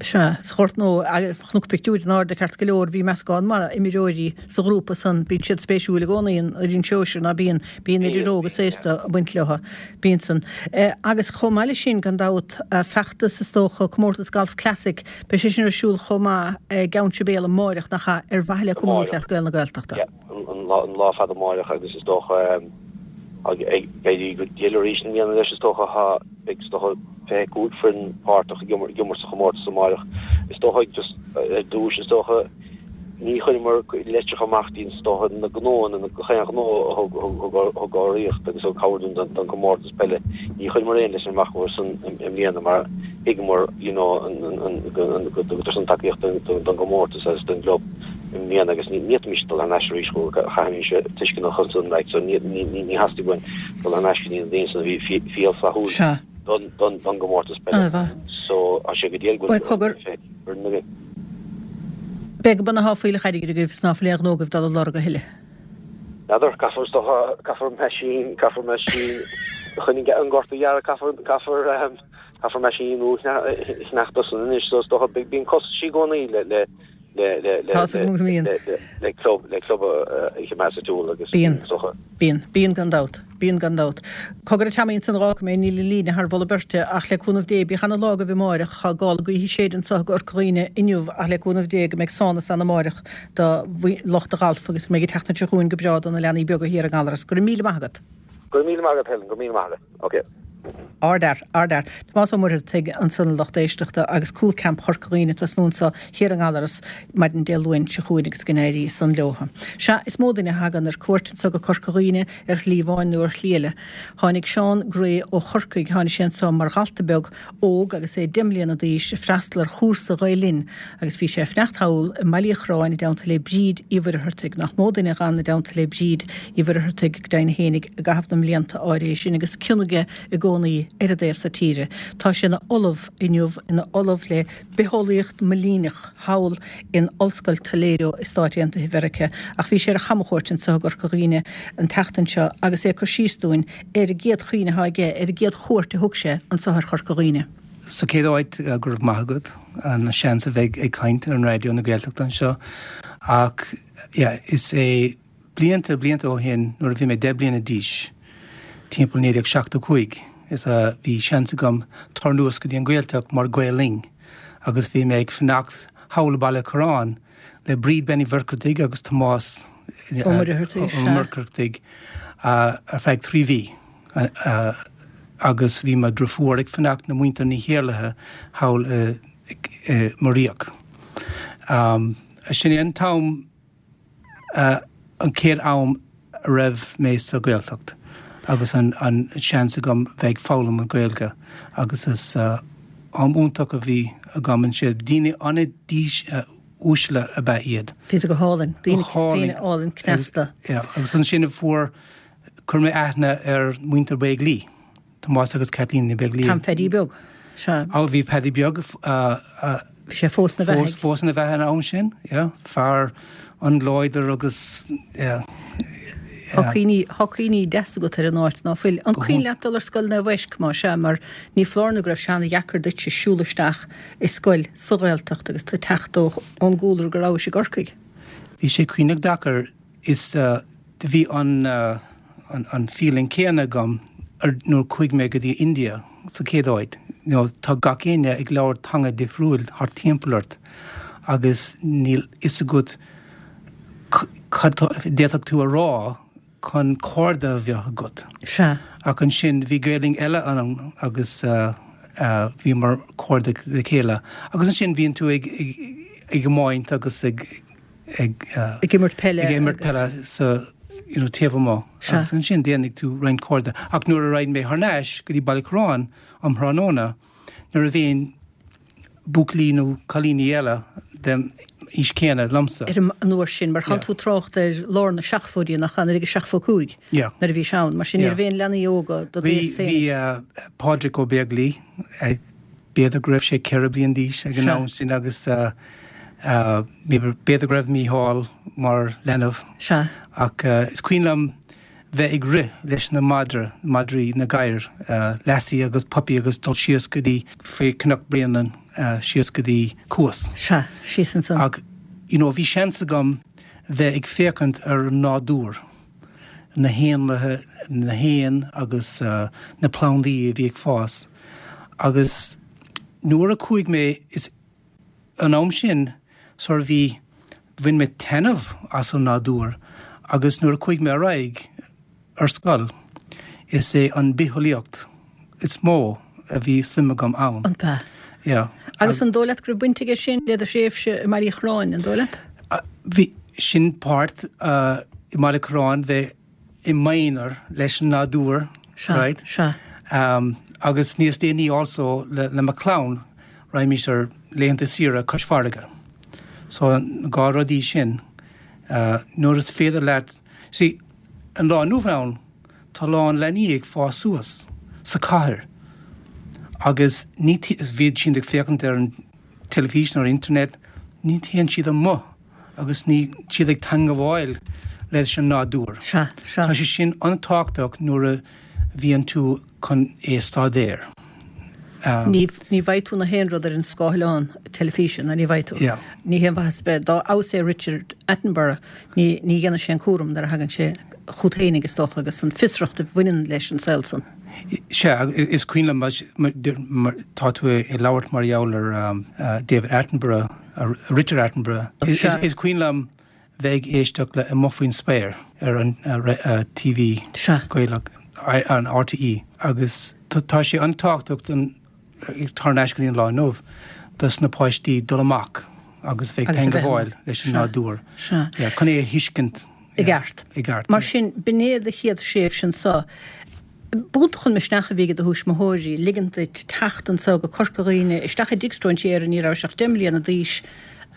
Sea, sa Ghort Nua, chonac pictiúir in airde ceart go leor, bhí meascán maith imreoirí sa ghrúpa san, bíonn siad spéisiúil i gcónaí, an fhoireann sóisir, ná bíonn, bíonn idir óg is aosta ag baint leo, bíonn san. Agus chomh maith leis sin, gan dabht, feachtas is dócha, Comórtas Golf Classic, beidh sé sin ar siúl chomh maith i gCeann Sibéal amáireach, nach ea, ar mhaithe le Cumann Amáireach. Lúthchleas Gael na Gaeltachta. Yeah, an lá, an lá fada amáireach agus is dócha, ag éirí go diail arís i mbliana leis is dócha, tá, beidh is dócha fiche cúig foireann páirteach ag imirt sa chomórtas amáireach. Is dócha just ar dtús is dócha Ní chuireamar litreacha amach dtí is dócha na gnóanna, na gach aon ghnó a thug urraíocht agus thug cabhair dúinn don gcomórtas peile. Ní chuireamar aon litir amach chucu san i mbliana mar thuigeamar you know go dtugtar san tacaíocht don gcomórtas agus don gclub i mbliana agus ní fhéadfaimis dul thar n-ais arís chucu, chaithfimis tuisceanach ansan like so ní theastaigh uainn dul thar n-ais go dtí na daoine san a bhí fial flaithiúil don gcomórtas peile. So tá sé go diail go bhfuil foireann againn. Beidh go b'ann atá fuílleach airgid agaibh is ná fuil aon ghnó agaibh dul ag lorg a thuilleadh. N'fheadar, caithfear is dócha, caithfear meaisín, caithfear meaisín chun an gort a ghearradh, caithfear, caithfear, ehm, caithfear meaisín nua a cheannacht ansan anois, so is dócha, bíonn costaisí i gcónaí le, le, le, le, le, Tá 's agam go mbíonn. le, le, le club, le club a, a choimeád ar siúl agus Bíonn. is dócha. Bíonn, bíonn gan dabht. Bíonn gan dabht. Cogar a Tommy ansan d'fhágfaidh mé, níl an líne thar mholadh beirte ach le cúnamh Dé, bíodh ana lá agaibh amáireach, tá gála gaoithe ag séideadh anso i gCorca Dhuibhne inniu ach le cúnamh Dé go mbeidh sonas ann amáireach do lucht an ghailf agus go mbeidh an tseachtain seo chugainn go breá do na leanaí beaga thiar i nGallaras. Go raibh míle maith agat. Go raibh míle maith agat Helen, go raibh míle maith agat. Ok. Ardfhear, ardfhear. Tomás Ó Muircheartaigh ansan a lucht éisteachta agus Cúl Camp Chorca Dhuibhne ag tosnú anso thiar i nGallaras maidin Dé Luain seo chugainn agus go n-éirí san leotha. Sea, is mó duine a thagann ar cuairt anso go Corca Dhuibhne ar shlí amháin nó ar shlí eile. Tháinig Seán Gray ó Chorcaigh, tháinig sé anso mar dhalta beag óg agus é deich mbliana d'aois ag freastal ar chúrsa Ghael Linn agus bhí sé ag fanacht thall i mBaile Uí Chorráin i dteannta le Bríd Uí Mhuircheartaigh. Nach mó duine a dh'fhan i dteannta le Bríd Uí Mhuircheartaigh go deimhin fhéinig i gcaitheamh na mblianta áirithe sin agus cion aige i gcónaí ar an dtaobh so tíre. Tá sé ina ollamh inniu, ina ollamh le bitheolaíocht móilíneach thall in Ollscoil Toledo i Stáit Aontaithe Mheiriceá, ach bhí sé ar chamchuairt anseo i gCorca Dhuibhne an tseachtain seo agus é ag cur síos dúinn ar an gcéad chuimhne atá aige ar an gcéad chuairt a thug sé anseo ar Chorca Dhuibhne. Sa chéad áit, go raibh maith agat an seans a bheith ag caint ar an Raidió na Gaeltachta anseo ach yeah, is é blianta, blianta ó shin nuair a bhí mé deich bliana d'aois, timpeall naoi déag seachtó cúig, is a bhí seans agam tabhairt anuas go dtí an Ghaeltacht mar Gael Linn agus bhí mé ag fanacht thall i Baile Corráin le Bríd Bean Uí Mhuircheartaigh agus Tomás Ó Muircheartaigh, Ó Muircheartaigh ar feadh trí mhí agus bhí mo dhriofúr ag fanacht le muintir Ní hIarlaithe thall i Muiríoch. Sin é an t-am an chéad am a raibh mé sa Ghaeltacht agus an an seans agam bheith ag foghlaim an Ghaeilge agus is am iontach a bhí agam ansin. Daoine an-uaisle ab ea iad. Bhí go hálainn, daoine daoine álainn cneasta. Yeah, agus ansin a fuair chuir mé aithne ar muintir Beaglaoich, Tomás agus Kathleen Ní Bheaglaoich. Tom Pheaidí Beag, sea. Á bhí Paddy Beag Bhí sé fós ina bheathaidh. Fós ina bheatha an am sin, yeah. Fear an-láidir agus, yeah. Tá cuimhní, tá cuimhní deasa agat ar an áit, ná fuil? An cuimhin leat dul ar scoil Naomh Eisc, má sea, mar ní foláir nó go raibh sé ana-dheacair duitse siúl isteach i scoil sa Ghaeltacht agus tú ag teacht ó, ón gcúlra go rabhais i gCorcaigh. Bhí sé cuimhneach deacair. Is do bhí an, an, an feeling céanna agam ar, nuair chuaigh mé go dtí India sa chéad áit. You know, tá gach éinne ag labhairt teanga difriúil thart timpeall ort agus níl fhios agat cad d'fhéadfadh tú a rá chun cairde a bheith agat. Sea. Ach ansin bhí Gaelainn eile ann agus bhíomar cairde le chéile. Agus ansin bhíonn tú ag ag iomáint agus ag ag Ag imirt peile ag imirt peile sa you know, taobh amuigh. Sea. Agus ansin déanfaidh tú roinnt cairde. Ach nuair a raghainn mé thar n-ais go dtí Baile Corráin um thráthnóna, ní raibh aon buachaillí nó cailíní eile den aois céanna liomsa. Ar an uair sin, mar tánn tú ag trácht ar lár na seachtóidí, nach ea, naoi déag seachtó cúig, nuair a bhí sé ann. Mar sin, ní raibh aon leanaí óga do d'aois féin. Bhí Pádraig Ó Beaglaoi, b'fhéidir go raibh sé ceithre bliana d'aois ag an am sin agus b'fhéidir go raibh Mícheál mar leanbh. Ach is cuimhin liom bheith ag rith leis na madra, madraí, na gadhair, Lassie agus Puppy agus dul síos go dtí, faoi Cnoc Bréanainn, síos go dtí Cuas. Sea, síos ansan. Ach, you know, bhí seans agam bheith ag féachaint ar an nádúr, na héanlaithe, na héin agus na plandaí a bhí ag fás. Agus nuair a chuaigh mé, is an am sin sort of bhí, bhain mé taitneamh as an nádúr agus nuair a chuaigh mé ar aghaidh ar scoil, is é an bitheolaíocht is mó a bhí suim agam ann. An b'ea? Yeah. Agus an dóigh leat go raibh baint aige sin le do thréimhse i mBaile Uí Chorráin, an dóigh leat? Bhí sin páirt uh, i mBaile Corráin bheith i m'aonar leis an nádúr, Sea, right? sea. Um, agus níos déanaí also le, le mo chlann raghaimís ar laethanta saoire cois farraige. So an dhá rudaí sin uh, nuair is féidir leat see, an lá inniu ann tá lán leanaí ag fás suas sa chathair. Agus ní is bhíonn siad ag féachaint ar an teilifís ar internet, ní théann siad amuigh agus ní siad ag teagmháil leis an nádúr. Sea, sea. Tá sé sin an-tábhachtach nuair a bhíonn tú chun é staidéar. Um, Ní ní bhfaighidh tú na haon rud ar an scáileán teilifíse ná ní bhfaighidh tú. Yeah. Ní haon mhaitheas bheith dá fheabhas é Richard Attenborough ní ní dhéanann sé an cúram nuair a thagann sé chugat fhéinig is dócha agus an fiosracht a bhaineann leis an saol san. Sea, is cuimhin liom tá tú ag labhairt mar gheall ar um, uh, David Attenborough, uh, Richard Attenborough. Is, Sea. is, is cuimhin liom bheith ag éisteacht le Amuigh Faoin Spéir ar an uh, re- uh, TV Sea. Gaelach an RTE agus tá tá sé an-tábhachtach an tar éis an lá inniu dos na páistí dul amach agus bheith Agus a bheith teagmháil leis an Sea. nádúr. Sea. Yeah, chun é a thuiscint I gceart. I gceart. Mar sin b'in é do chéad tréimhse anseo. B'iontach an misneach a bhí ag do thuismitheoirí, ligint duit teacht anseo go Corca Dhuibhne, isteach i dtigh stróinséara ní raibh ach deich mbliana d'aois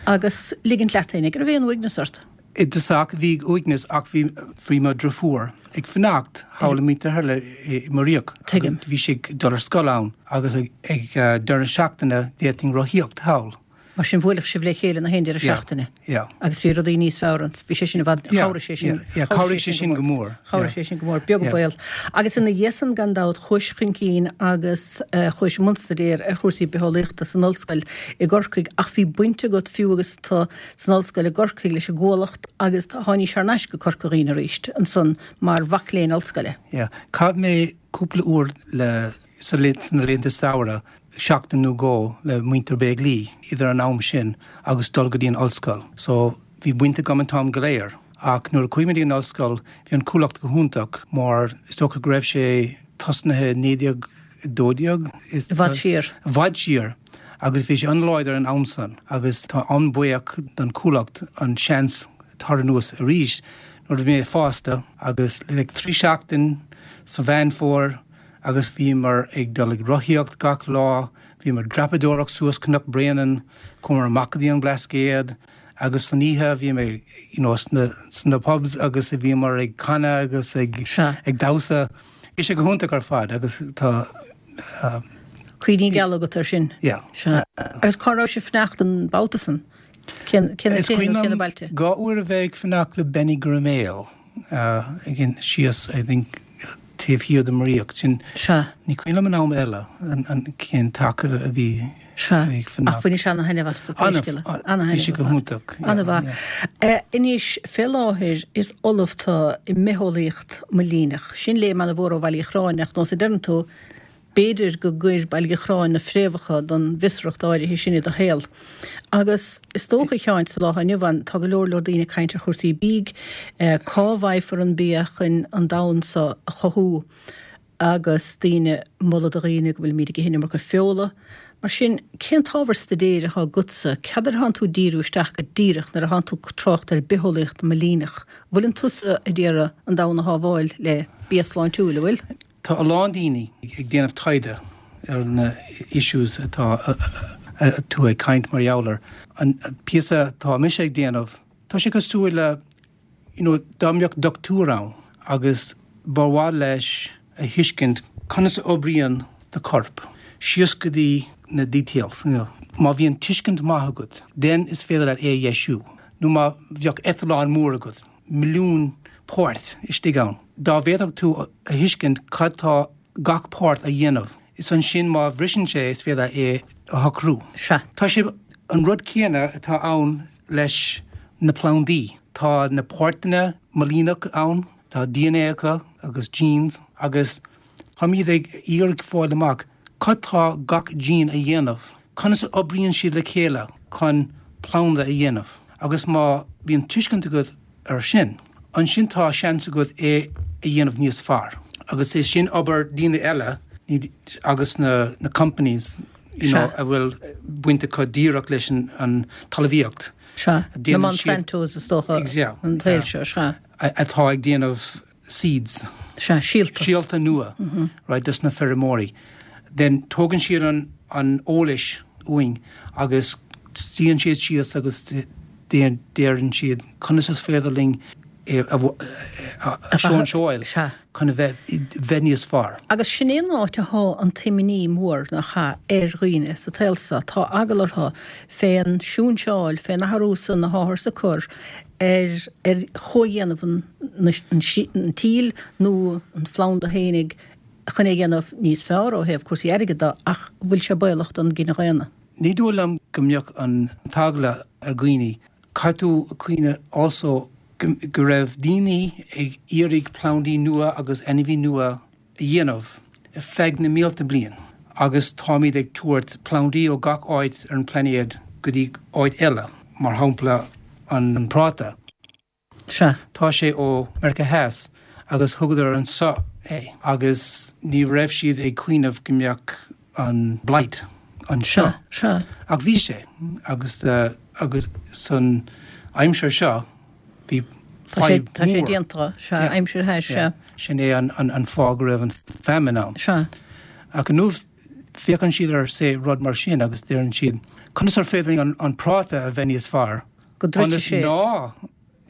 agus ligint leat fhéinig, raibh aon uaigneas ort. I dtosach bhí uaigneas ach bhí bhí mo dheirfiúr ag fanacht thall i Muintir Thairle i Muiríoch. Tuigim. Bhí sé ag dul ar scoil ann agus ag, ag uh, deireadh na seachtaine d'fhéadfainn rothaíocht thall. Mar sin bhuailfeadh sibh le chéile na haon deireadh Yeah. seachtaine. Yeah. Agus bhí rudaí níos fearr ann. Bhí sé sin i bhfad Yeah, chabhraigh sé sin. yeah, yeah, chabhraigh sé sin go mór. Chabhraigh Yeah. sé sin go mór, beag Yeah. baol. Agus ina dhiaidh san gan dabht chuais chun cinn agus uh, chuais i mbun staidéir ar chúrsaí bitheolaíochta san ollscoil i gCorcaigh ach bhí baint agat fiú agus tú san ollscoil i gCorcaigh leis an gCuallacht agus tháinig thar n-ais go Corca Dhuibhne arís ansan mar mhac léinn ollscoile. Yeah. Chaith mé cúpla uair le sa sna laethanta samhraidh seachtain nó dhó le muintir Béaglí idir an am sin agus dul go dtí an ollscoil. So bhí baint agam an t-am go léir. Ach nuair a chuaigh mé an ollscoil bhí an Cuallacht go hiontach mar is dócha go raibh sé tosnaithe naoi déag dó dhéag I bhfad siar. I bhfad siar. agus bhí sé an-láidir an am san, agus tá an-bhuíoch don Cuallacht an seans tar anuas arís nuair a bhí mé fásta agus le trí seachtain sa Mheán Fómhair agus bhíomar ag dul ag rothaíocht gach lá, bhíomar dreapadóireacht suas Cnoc Bréanainn, chuamar amach go dtí an Blascaod, agus san oíche bhíomar you know, sna, sna pubs agus bhíomar ag canadh agus ag, Sea. ag damhsa. Bhí sé go hiontach ar fad agus tá uh, Cuimhní geala agat ar sin. yeah. Sea. Agus cá raibh sibh ag fanacht an babhta san? Cén Is cén cuimhin cén liom bailte? dhá uair a bheith ag fanacht le Benny Griméal uh, again síos I think taobh thiar de Muiríoch sin Sea. ní cuimhin liom an am eile an, an cén taca a bhí Sea. ag fanacht. Ach bhain sé ana-thaitneamh as Ana- bhí sé go hiontach, yeah, Ana-mhaith. Anois fé láthair is ollamh tú i mbitheolaíocht móilíneach. Sin léim an-mhór ó Bhaile Uí Chorráin ach nós a deireann tú b'fhéidir go gcuir Baile Uí Chorráin na fréamhacha don bhfiosracht áirithe sin i do shaol. Agus is dócha cheáin sa lá inniu ann tá go leor leor daoine ag caint ar chúrsaí bídh, eh, cá bhfaighfear an bia chun an domhan seo a chothú agus daoine moladh do dhaoine go bhfuil muid ag ithe an iomarca feola. Mar sin cén t-ábhar staidéir atá agatsa, cad air atánn tú díriú isteach go díreach nuair atánn tú trácht ar bitheolaíocht móilíneach. Bhfuil an tusa ag iarraidh an domhan a shábháil le bia sláintiúil a bhfuil? Tá a lán daoine ag déanamh taighde ar na issues atá tú ag caint mar gheall air. An píosa tá mise ag déanamh, Tá sé cosúil le you know, dá mbeadh dochtúir ann agus ba mhaith leis a thuiscint conas a oibríonn do chorp. Síos go dtí na details. You know. Má bhíonn tuiscint maith agat, den is féidir leat é dheisiú. Nó má bheadh eitleán mór agat, milliún páirt istigh ann. Dá bhféadfadh tú a thuiscint cad tá gach páirt a dhéanamh. Is ansin má bhriseann sé is féidir é a shocrú. Sea. Tá sé an rud céanna atá ann leis na plandaí. Tá na páirteanna móilíneach ann, tá DNA acu agus genes agus táimid ag iarraidh fáil amach cad tá gach gene a dhéanamh. Conas a oibríonn siad le chéile chun planda a dhéanamh. Agus má bhíonn tuiscint agat ar sin, ansin tá seans agat é a dhéanamh níos fearr. Agus é sin obair daoine eile ní- agus na, na companies you know, Sea. a bhfuil baint acu díreach leis an, an talmhaíocht. Sea, na Monsantos is dócha an tsaoil seo, sea. Atá ag déanamh seeds. Sea, síolta. Síolta nua, right, dos na feirmeoirí. Then tógann siad an an eolais uainn agus suíonn siad síos agus deireann siad conas is féidir linn é a shóinseáil chun a bheith bheith níos fearr. Agus sin é an áit athá an t-imní mór, nach ea, ar dhaoine sa tsaol seo, tá eagla orthu fén siúnseáil, fén athrú san atáthar ag cur ar ar chomhdhéanamh an an tsíl nó an phlanda fhéinig chun é a dhéanamh níos fearr ó thaobh cúrsaí airgid de ach bhfuil sé baolach don gcine dhaonna. Ní dóigh liom go mbeadh an t-eagla ar dhaoine. Caithfidh tú cuimhneamh also go raibh daoine ag iarraidh plandaí nua agus ainmhí nua a dhéanamh ar feadh na mílte bliain agus táimid ag tabhairt plandaí ó gach áit ar an bplainéad go dtí áit eile, mar shampla an práta. Sea. Tá sé ó Meiriceá Theas agus thugadar anseo é agus ní raibh siad ag cuimhneamh go mbeadh an blight anseo. Sea, sea. Ach bhí sé agus agus san aimsir seo bhí fadhb Tá sé déanta, sea, aimsir theas, sea. Sin é an an fáth go raibh an famine ann. Sea. Ach inniu féachann siad ar say rud mar sin agus deireann siad conas ar féidir linn an práta a bheith níos fearr Go dtroidfidh sé. ná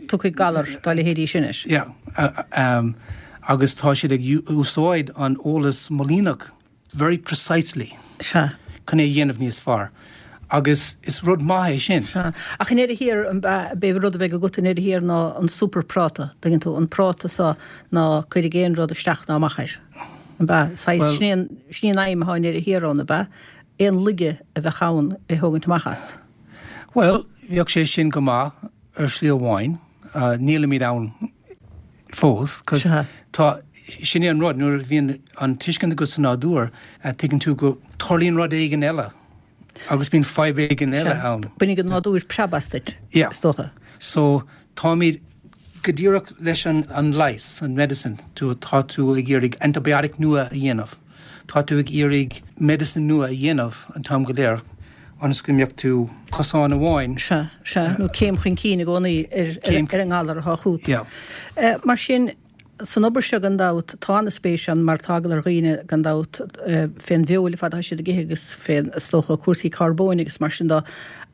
Tiocfaidh galar dá leithéidí sin air. Yeah. Agus tá siad ag úsáid an eolas móilíneach very precisely. Sea. Chun é a dhéanamh níos fearr. Agus is rud maith é sin. Sea. Ach i ndeireadh thiar, b'é an rud a bheidh agat i ndeireadh thiar ná an super práta, dtuigeann tú, an práta so ná cuirfidh aon rud isteach ná amach air. An b'ea? Saghas, sin é an, sin é an aidhm atá i ndeireadh thiar ann, ab ea? Aon laige a bheadh ann é thógaint amach as. Bhuel, bheadh sé sin go maith ar shlí amháin. Nílimid ann fós, 'cause tá, sin é an rud, nuair a bhíonn an tuiscint agat sa nádúr, tuigeann tú go dtarlaíonn rud éigin eile agus bíonn fadhb éigin eile ann. Bainfidh an nádúr preab as duit, is dócha. So, táimid go díreach leis an an leigheas, an medicine, tú, tá tú ag iarraidh antibiotic nua a dhéanamh, tá tú ag iarraidh medicine nua a dhéanamh an t-am go léir ionas go mbeadh tú cosán amháin. Sea, sea, nó céim chun cinn i gcónaí ar, ar an ngalar atá chugat. Yeah. Mar sin, san obair seo gan dabht, tá an-spéis ann mar tá eagla ar dhaoine gan dabht fén bhfeoil fad atá siad ag ithe agus fén, is dócha, cúrsaí carbóin agus mar sin de.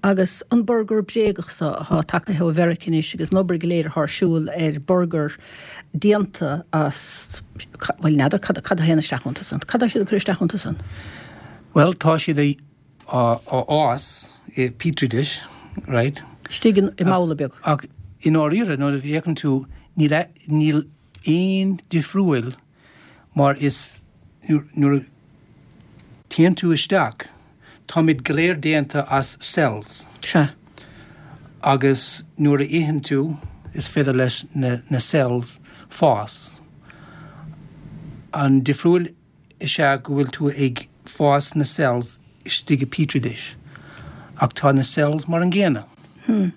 Agus an burgar bréagach so atá tagaithe ó Mheirice anois agus an obair go léir atá ar siúl ar burgar déanta as, bhuel n'fheadar cad, cad a théann isteach iontu san. Cad tá siad ag cur isteach iontu san? Bhuel, tá siad á fhás i petri dish, right? Istigh i mbabhla beag. Ach i ndáiríre, nuair a fhéachann tú, níl, níl aon difriúil mar is nuair a téann tú isteach, táimid go léir déanta as cells. Sea. Agus nuair a itheann tú, is féidir leis na, na cells fás. An difriúil is ea go bhfuil tú ag fás na cells istigh i petri dish. Ach tá na cells mar an gcéanna. Hmm.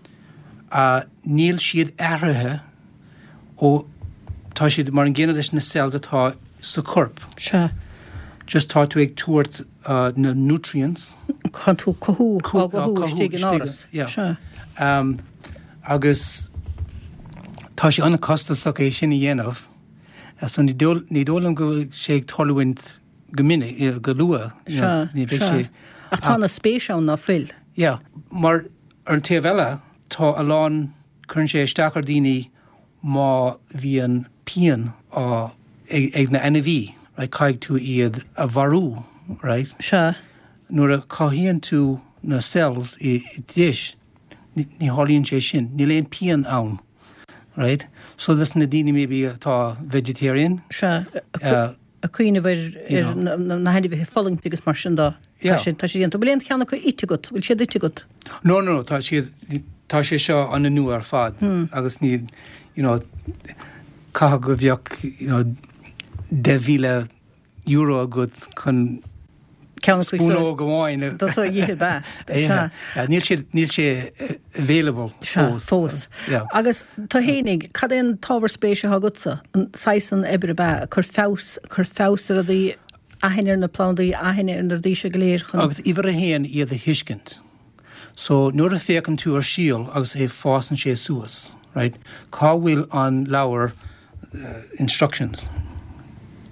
Níl siad athraithe ó tá siad mar an gcéanna leis na cells atá sa chorp. Sea. Just tá tú ag tabhairt na nutrients. Tá tú cothú, á gcothú istigh in áras. Yeah. Sea. Agus tá sé an-chostasach é sin a dhéanamh. So ní dóigh liom go bhfuil sé ag tarlúint go minic, go luath. Sea, sea. Ach tá an spéis ann ná fuil? Yeah. Mar ar an taobh eile, tá a lán, cuireann sé isteach ar daoine má bhíonn pian á, ag na ainmhí, right, caithfidh tú iad a mharú, right? Sea. Nuair a chothaíonn tú na cells i dish, ní tharlaíonn sé sin, níl aon pian ann, right? So dos na daoine maybe atá vegetarian. Sea. Ag cuimhneamh ar na hainmhithe ag fulaingt agus mar sin de. Tá sé tá sé déanta. Bhfuil aon cheann acu ite agat? Bhfuil siad ite agat? No, no, tá siad, tá sé seo an-nua ar fad agus ní, you know, caithfidh go bheadh, you know, deich mhíle euro agat chun Ceann acu spúnóg amháin a Dos a ithe, ab ea? Sea. Níl sé, níl sé available Sea, fós. fós. Yeah. Agus tú fhéinig, cad é an t-ábhar spéise atá agatsa? An saghas san oibre ab ea? Cur feabhas, cur feabhas ar rudaí, aithne ar na plandaí, aithne ar na rudaí seo go léir chun. Agus uimhir a haon, iad a thuiscint. So nuair a féachann tú ar síol agus é fásann sé suas, right? Cá bhfuil an leabhar uh, instructions?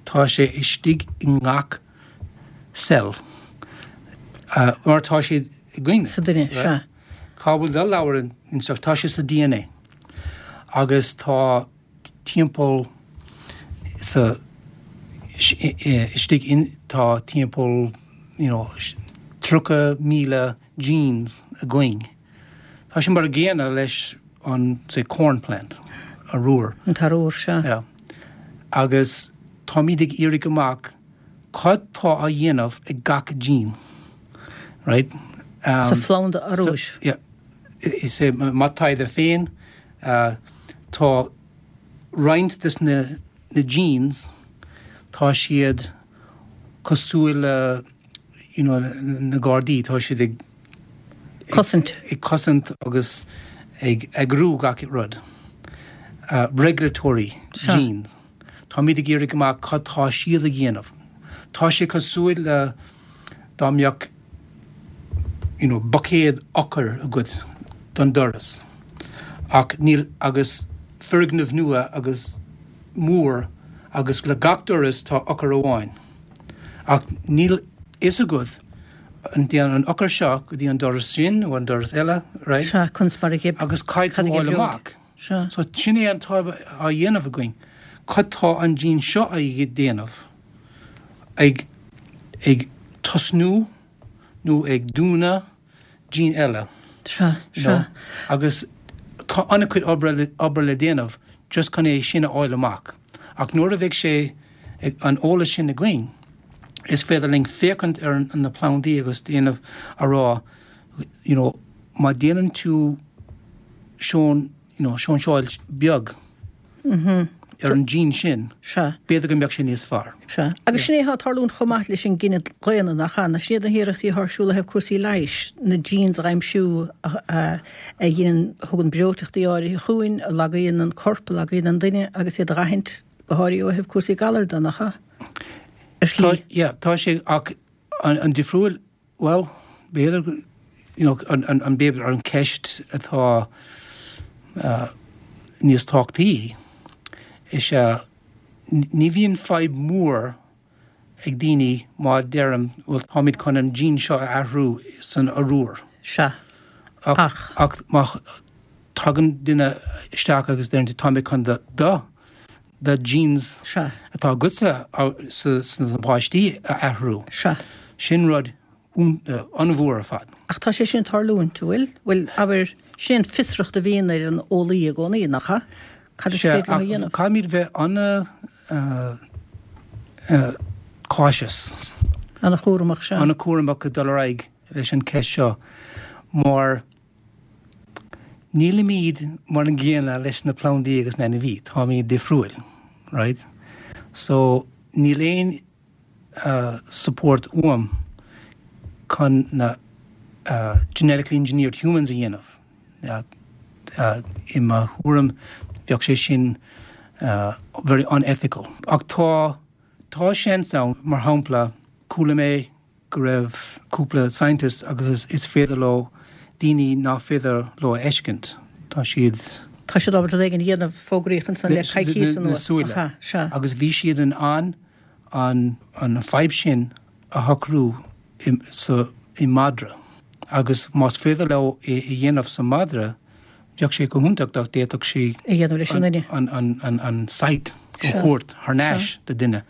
Tá sé istigh i ngach cell. Uh, mar tá sé againn. Sa duine, right? sea. Cá bhfuil do leabhar instruct tá sé sa DNA. Agus tá timpeall sa istigh in tá timpeall you know, tríocha míle genes againn. Tá sin mar a gcéanna leis an say corn plant arúr. An t-arúr sea. Yeah. Agus táimid ag iarraidh amach cad tá á dhéanamh ag gach gene. Right? Um, Sa phlanda arúis. So, yeah. Is é mo thaighde féin uh, tá roinnt des na, na genes tá siad cosúil le you know, na gardaí tá siad ag Cosaint. ag cosaint agus ag eagrú gach rud. Uh, regulatory Sea. genes. Táimid ag iarraidh amach cad tá siad ag dhéanamh. Tá sé cosúil le dá mbeadh you know, buicéad eochair agat don doras. Ach níl agus foirgneamh nua agus mór agus le gach doras tá eochair amháin. Ach níl fhios agat an dtéann an eochair seo go dtí an doras sin nó an doras eile, right? Sea, conas mar a ghib. Agus caithfidh Cad a tú fháil ghib amach. Sea. So sin é an tá á dhéanamh againn. Cad tá an gene seo á dhéanamh ag ag tosnú nó ag dúnadh gene eile. Sea, you know? sea. Agus tá an-chuid obair le- obair le déanamh just chun é sin a fháil amach. Ach nuair a bheidh sé ag- an eolas sin againn, is féidir linn féachaint ar an, na plandaí agus déanamh a rá, you know, má déanann tú seon, you know, seoinseáil beag ar an gene sin, Sea. b'fhéidir go mbeadh sé níos fearr. Sea. Agus sin é atá ag tarlúint chomh maith leis an gcine daonna nach ea, sin iad na hiarrachtaí atá ar siúl le cúrsaí leighis, na genes a aimsiú a, a, a dhéanann thugann breoiteachtaí áirithe chugainn, a lagaíonn an corp, a lagaíonn an duine agus iad a aithint go háirithe ó thaobh cúrsaí galar de nach ea. Ar Tá, shlí. yeah, tá sé ach an, an difriúil well b'fhéidir you know, an, an, an b'fhéidir an ceist atá uh, níos tábhachtaí is ea ní bhíonn fadhb mór ag daoine má deirim well táimid chun an gene seo a athrú san arúr. Sea. Ach, Ach. ach má tagann duine isteach agus deireann táimid chun do do the genes Sea. atá agatsa sa sna páistí a athrú. Sea. Sin rud un- uh, an-mhór ar fad. Ach tá sé sin ag tarlúint bhfuil, bhfuil abair sin fiosracht a bhíonn ar an eolaí i gcónaí nach ea? Cad is féidir leo a dhéanamh? Caithfimid bheith an uh, uh, cautious An-chúramach sea. an-chúramach ag dul ar aghaidh leis an ceist seo mar nílimid mar an gcéanna leis na plandaí agus na ainmhithe táimid difriúil right so níl aon uh, support uaim chun na uh, genetically engineered humans a dhéanamh uh, uh, i mo thuairim bheadh sé sin uh, very unethical ach tá tá seans ann mar shampla chuala mé go raibh cúpla scientist agus is, is féidir leo daoine nach féidir leo a fheiscint tá siad Tá siad ábalta rud éigin a dhéanamh fógraíocht ansan le coicís na anuas. súile. Aha, sea. agus bhí siad in ann an an fadhb sin a shocrú i, sa i madra agus más féidir leo é a dhéanamh sa madra bheadh sé go hiontach dá d'fhéadfadh sí A dhéanamh leis an duine. an, an, an, an sight Sea. a thabhairt thar n-ais do duine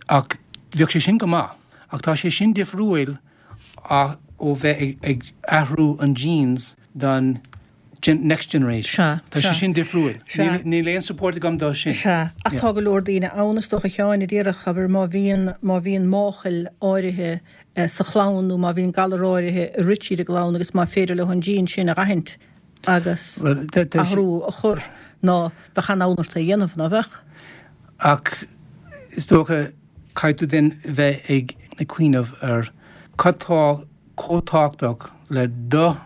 ach bheadh sé sin go maith ach tá sé sin difriúil a ó bheith ag, ag athrú an genes don gen, next generation. Sea, Tá sé sea. sin difriúil. Sea. Níl níl aon support agam dó sin. Sea, ach Yeah. tá go leor daoine ann is dócha Sheáin a déarfadh abair má bhíonn má bhíonn máchail áirithe eh, sa chlann nó má bhíonn galar áirithe i rith siad i gclann agus má féidir leo an gene sin a aithint agus Well, tá- tá sé- athrú a chur ná bheadh an-fhonn ort é a dhéanamh ná bheadh. Ach is dócha caithfidh tú den bheith ag ag cuimhneamh ar cad tá chomh tábhachtach le do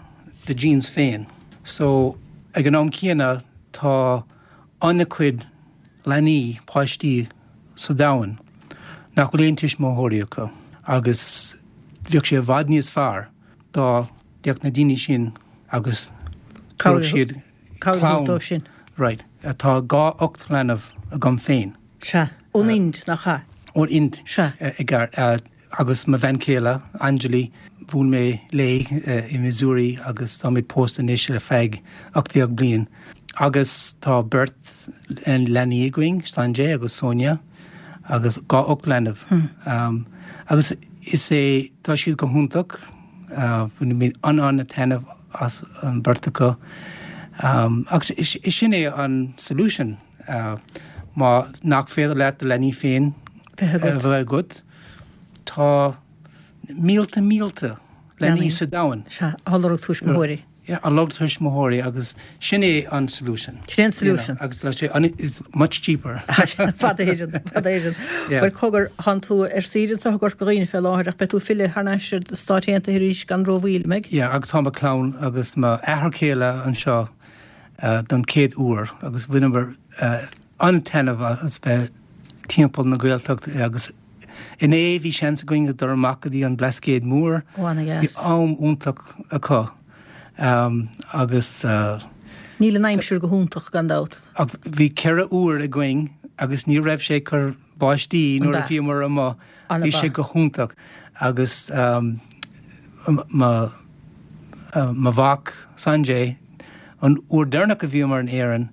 the genes féin. So ag an am céanna tá an-chuid leanaí páistí sa domhan nach bhfuil aon tuismitheoirí acu agus bheadh sé i bhfad níos fearr dá D'fhéach na daoine sin agus Cabhair siad Cabhair dóibh sin. Right. Tá dhá ocht leanbh agam féin. Sea. Ón Ind, nach ea? Ón Ind. Sea. I gceart. Agus mo bhean chéile, Anjali, bhuail mé léi i Missouri agus táimid pósta anois le feadh ocht déag bliain. Agus tá beirt leanaí againn, Sanjay agus Sonia, agus dhá ocht leanbh. Um, agus is é tá siad go hiontach, bhain mé an-an-taitneamh as an beirt acu. Um, agus is, is sin é an solution. Uh, má nach féidir leat do leanaí féin Bheith agat. bheith agat, tá mílte mílte leanaí Leanaí. sa domhan. Sea, á lorg tuismitheoirí. Yeah, á lorg tuismitheoirí agus sin é an solution. Sin é an solution. You know, agus tá sé an is much cheaper. Fada héidir, fada héidir. Yeah. Bhuel cogar tánn tú ar saoire anseo i gCorca Dhuibhne fé láthair ach beidh tú ag filleadh thar n-ais ar Stáit Aontaithe arís gan rómhoill, an mbeidh? Yeah, agus tá mo chlann agus m'athair céile anseo uh, don chéad uair agus bhaineamar uh, an-taitneamh as bheith timpeall na Gaeltacht agus inné bhí seans againn go dul amach go dtí an Blascaod Mór. Ó, ana-dheas. Bhí am iontach acu. Um, agus uh, Níl an aimsir go hiontach gan dabht. ach bhí ceithre uair againn agus ní raibh sé cur báistí nuair a An bhíomar amuigh An bhí ba. sé go hiontach agus um, ma uh, mo mhac Sanjay an uair deireanach a bhíomar in Éirinn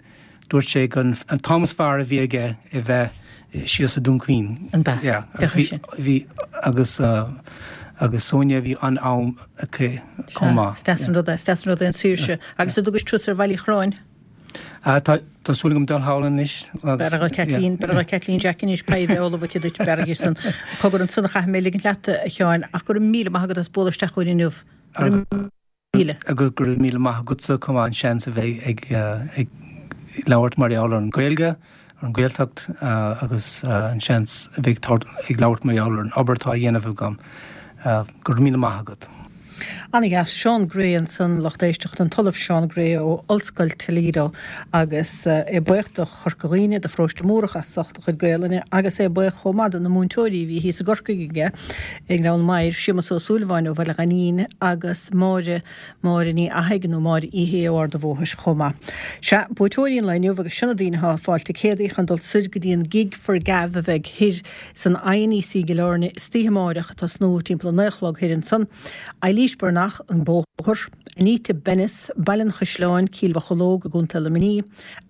dúirt sé gur an t-am is fearr a bhí aige a bheith síos sa Dún Chaoin. An ba. Yeah, agus Bheadh bhí sin. bhí agus uh, agus Sonia bhí an am aici chomh maith. Is deas an rud é, is deas an rud é an saoirse. Agus an dtugais turas ar Bhaile Uí Chorráin. Uh, tá tá súil agam dul thall anois. Beir a Kathleen, beir a Kathleen Jack anois paidh Ola duit beir san cogar ansan a chaithfidh mé ligint leat a Sheáin ach go raibh míle maith agat as bualadh isteach chugainn inniu. Go raibh míle. Agus go raibh míle maith agatsa chomh maith an seans a bheith ag uh, ag labhairt mar gheall ar an Ghaeilge, ar an Ghaeltacht uh, agus uh, an seans a bheith ag labhairt mar gheall ar an obair atá á dhéanamh agam. Uh, go raibh míle maith agat. Ana-dheas Seán Gray ansan lucht éisteachta an tOllamh Seán Gray ó Ollscoil Toledo agus é buíoch do Chorca Dhuibhne do Pharóiste Múrach as ucht a chuid Gaelainne agus é buíoch chomh maith do na múinteoirí bhí thíos i gCorcaigh aige ag Gleann Maghair Séamus Ó Súilleabháin ó Bhaile Ghainín agus Máire Máire Ní Fhathaigh nó Máire Ihe ó Ard an Bhóthair chomh maith. Sea buaiteoirí an lae inniu agus sin na daoine atá ag fáil ticéadaí chun dul soir go dtí an Gig for Gav a bheidh thiar san INEC i gCill Airne istoíche amárach ag tosnú timpeall a naoi a chlog thiar ansan. Eilís Bernach an Bóthar, Anita Bennis, Baile an Chaisleáin, Cill Mhocheallóg i gContae Luimnigh,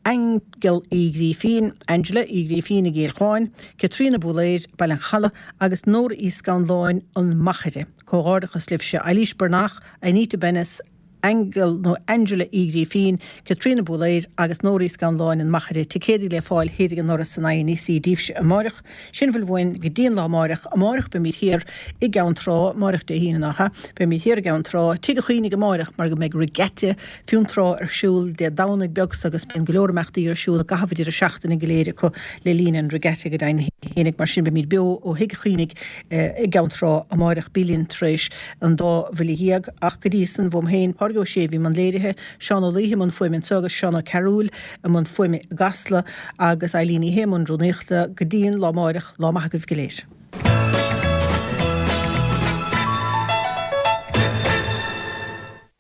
Angel Uí Ghrífín, Angela Uí Ghrífín i gCill Chuáin, Caitríona Búléir, Baile an Chalaidh agus Nóra Uí Scanláin an Machaire. Comhghairdeachas libhse Eilís Bernach, Anita Bennis, Angel nó Angela Uí Ghrífín, Caitríona Búléir agus Nóra Uí Scanláin an Machaire ticéadaí le fáil thiar ag an ndoras san INEC daoibhse amárach, sin a bhfuil uainn go dtí an lá amárach amárach beimid thiar i gCeann Trá amárach Dé hAoine nach ea, beimid thiar i gCeann Trá Tigh an Chaonaigh amárach mar go mbeidh regatta Fionntrá ar siúl Dé Domhnaigh beag agus bíonn go leor imeachtaí ar siúl gach deireadh seachtaine go léir acu le linn an regatta go deimhin féinig mar sin beimid beo ó Thigh an Chaonaigh i gCeann Trá amárach bí linn tar éis an dá bhuille dhéag ach go dtí san uaim féin Pádraig Ó Sé i mbun léirithe, Seán Ó Laoithe i mbun fuaime anseo agus Seán Ó Cearúil i mbun fuaime i gCasla agus Eileen Ní Shé i mbun rúnaíochta go dtí an lá amárach lá maith agaibh go léir.